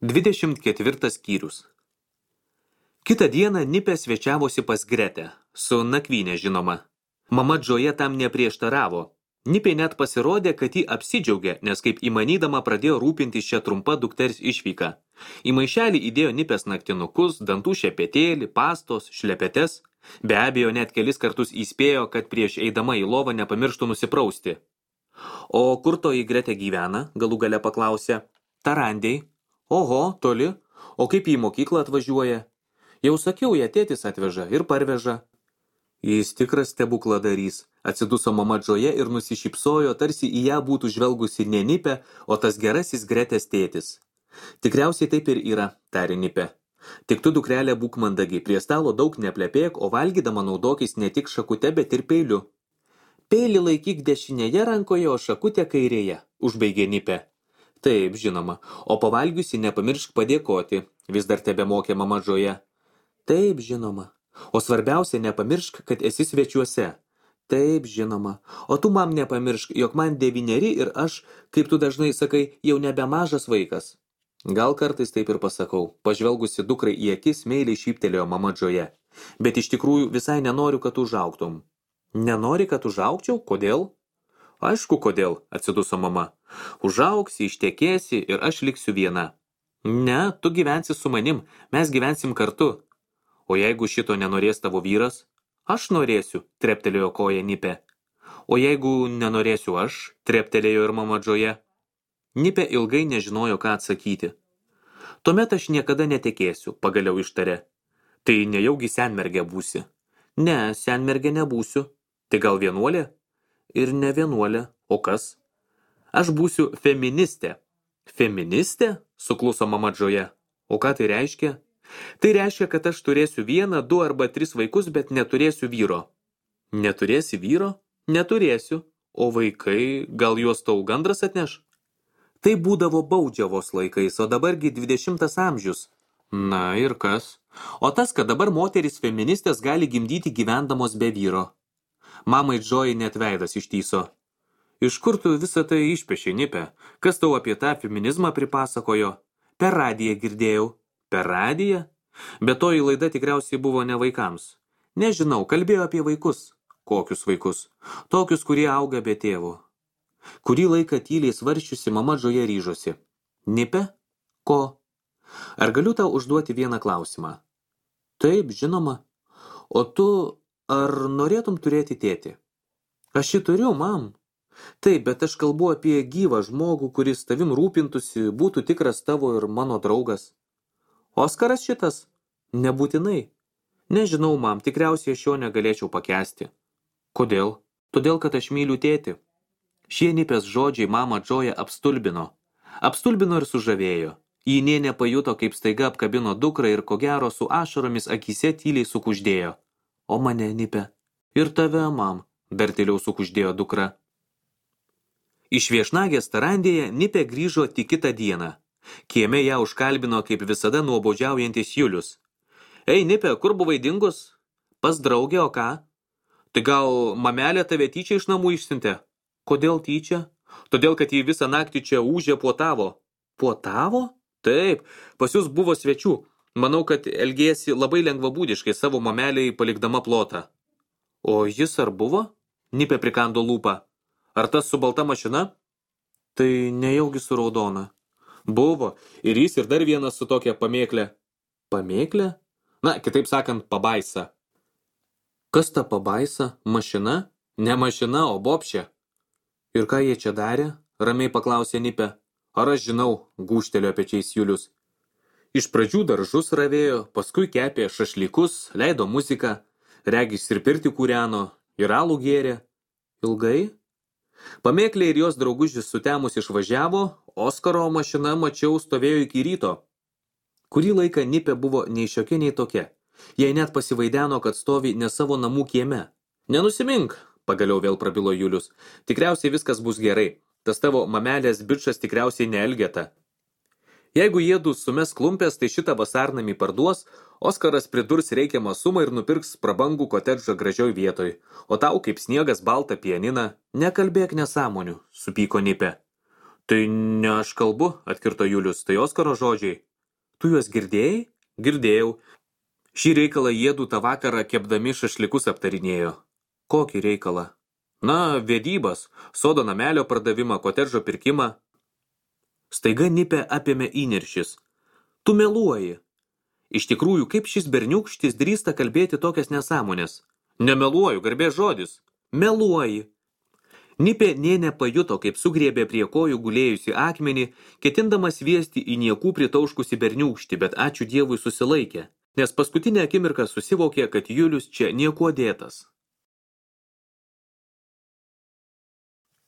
24 skyrius. Kitą dieną Nipė svečiavosi pas Gretę, su nakvynė žinoma. Mama Džoja tam neprieštaravo. Nipė net pasirodė, kad ji apsidžiaugė, nes kaip įmanydama pradėjo rūpintis šią trumpą dukters išvyką. Į maišelį įdėjo Nipės naktinukus, dantų šepetėlį, pastos, šlepetes. Be abejo, net kelis kartus įspėjo, kad prieš eidama į lovą nepamirštų nusiprausti. O kur toji Gretė gyvena, galų gale paklausė. Tarandėj. Oho, toli. O kaip į mokyklą atvažiuoja? Jau sakiau, ją tėtis atveža ir parveža. Jis tikras stebukladarys, atsiduso mama Džoja ir nusišypsojo, tarsi į ją būtų žvelgusi ne Nipė, o tas gerasis Gretės tėtis. Tikriausiai taip ir yra, tarė Nipė. Tik tu, dukrelė, būk mandagi, prie stalo daug neplepėk, o valgydama naudokis ne tik šakute, bet ir peiliu. Peilį laikyk dešinėje rankoje, o šakutę kairėje, užbaigė Nipė. Taip, žinoma, o pavalgiusi nepamiršk padėkoti, vis dar tebemokė mama Džoja. Taip, žinoma. O svarbiausia, nepamiršk, kad esi svečiuose. Taip, žinoma. O tu, mam, nepamiršk, jog man 9 ir aš, kaip tu dažnai sakai, jau nebemažas vaikas. Gal kartais taip ir pasakau. Pažvelgusi dukrai į akis, meiliai šyptelėjo mama Džoja. Bet iš tikrųjų visai nenoriu, kad užaugtum. Nenori, kad užaugčiau? Kodėl? Aišku, kodėl, atsiduso mama. Užaugsi, ištekėsi ir aš liksiu viena. Ne, tu gyvensi su manim, mes gyvensim kartu. O jeigu šito nenorės tavo vyras? Aš norėsiu, treptelėjo koja Nipė. O jeigu nenorėsiu aš, treptelėjo ir mama Džoja. Nipė ilgai nežinojo, ką atsakyti. Tuomet aš niekada netekėsiu, pagaliau ištarė. Tai nejaugi senmergė būsi? Ne, senmergė nebūsiu. Tai gal vienuolė? Ir ne vienuolė. O kas? Aš būsiu feministė. Feministė? Sukluso mama Džoja. O ką tai reiškia? Tai reiškia, kad aš turėsiu 1, 2 arba 3 vaikus, bet neturėsiu vyro. Neturėsi vyro? Neturėsiu. O vaikai, gal juos tau gandras atneš? Tai būdavo baudžiavos laikais, o dabargi 20 amžius. Na ir kas? O tas, kad dabar moterys feministės gali gimdyti gyvendamos be vyro. Mamai Džojai net veidas ištyso. Iš kur tu visą tai išpešiai, Nipė? Kas tau apie tą feminizmą pripasakojo? Per radiją girdėjau. Per radiją? Bet toji laida tikriausiai buvo ne vaikams. Nežinau, kalbėjo apie vaikus. Kokius vaikus? Tokius, kurie auga be tėvų. Kurį laiką tyliai svarsčiusi mama Džoja ryžosi. Nipė? Ko? Ar galiu tau užduoti vieną klausimą? Taip, žinoma. O tu ar norėtum turėti tėtį? Aš jį turiu, mam. Taip, bet aš kalbu apie gyvą žmogų, kuris tavim rūpintųsi, būtų tikras tavo ir mano draugas. Oskaras šitas? Nebūtinai. Nežinau, mam, tikriausiai aš jo negalėčiau pakęsti. Kodėl? Todėl, kad aš myliu tėtį. Šie Nipės žodžiai mamą Džoją apstulbino. Apstulbino ir sužavėjo. Ji nė nepajuto, kaip staiga apkabino dukrą ir ko gero su ašaromis akyse tyliai sukuždėjo. O mane, Nipė. Ir tave, mam, dar tyliau sukuždėjo dukra. Iš viešnagės Tarandėje Nipė grįžo tik kitą dieną. Kieme ją užkalbino kaip visada nuobodžiaujantis Julius. Ei, Nipė, kur buvai dingus? Pas draugę, o ką? Tai gal mamelė tave tyčia iš namų išsiuntė? Kodėl tyčia? Todėl, kad jį visą naktį čia ūžė puotavo. Puotavo? Taip, pas jūs buvo svečių. Manau, kad elgėsi labai lengvabūdiškai savo mameliai palikdama plotą. O jis ar buvo? Nipė prikando lūpą. Ar tas su balta mašina? Tai nejaugi su raudona. Buvo, ir jis ir dar vienas su tokia pamėklė. Pamėklė? Na, kitaip sakant, pabaisa. Kas ta pabaisa? Mašina? Ne mašina, o bobšė. Ir ką jie čia darė? Ramiai paklausė Nipė. Ar aš žinau, gūžtelėjo pečiais Julius. Iš pradžių daržus ravėjo, paskui kepė šašlykus, leido muziką, regis ir pirtį kūreno, ir alų gėrė. Ilgai? Pamėklė ir jos draugužis sutemus išvažiavo, Oskaro mašina, mačiau, stovėjo iki ryto. Kurį laiką Nipė buvo nei šiokia, nei tokia. Jai net pasivaideno, kad stovi ne savo namų kieme. Nenusimink, pagaliau vėl prabilo Julius. Tikriausiai viskas bus gerai. Tas tavo mamelės bičas tikriausiai neelgeta. Jeigu jiedu sumes klumpės, tai šitą vasarnamį parduos, Oskaras pridurs reikiamą sumą ir nupirks prabangų kotedžą gražioj vietoj. O tau kaip sniegas baltą pianiną. Nekalbėk nesąmonių, supyko Nipė. Tai ne aš kalbu, atkirto Julius, tai Oskaro žodžiai. Tu juos girdėjai? Girdėjau. Šį reikalą jiedu tą vakarą kepdami šašlikus aptarinėjo. Kokį reikalą? Na, vedybas, sodo namelio pardavimą, kotedžo pirkimą. Staiga Nipę apėmė įniršis. Tu meluoji. Iš tikrųjų, kaip šis berniūkštis drįsta kalbėti tokias nesąmonės? Nemeluoju, garbės žodis. Meluoji. Nipė nė nepajuto, kaip sugriebė prie kojų gulėjusi akmenį, ketindamas sviesti į niekų pritauškusi berniūkštį, bet ačiū Dievui susilaikė, nes paskutinę akimirką susivokė, kad Julius čia niekuo dėtas.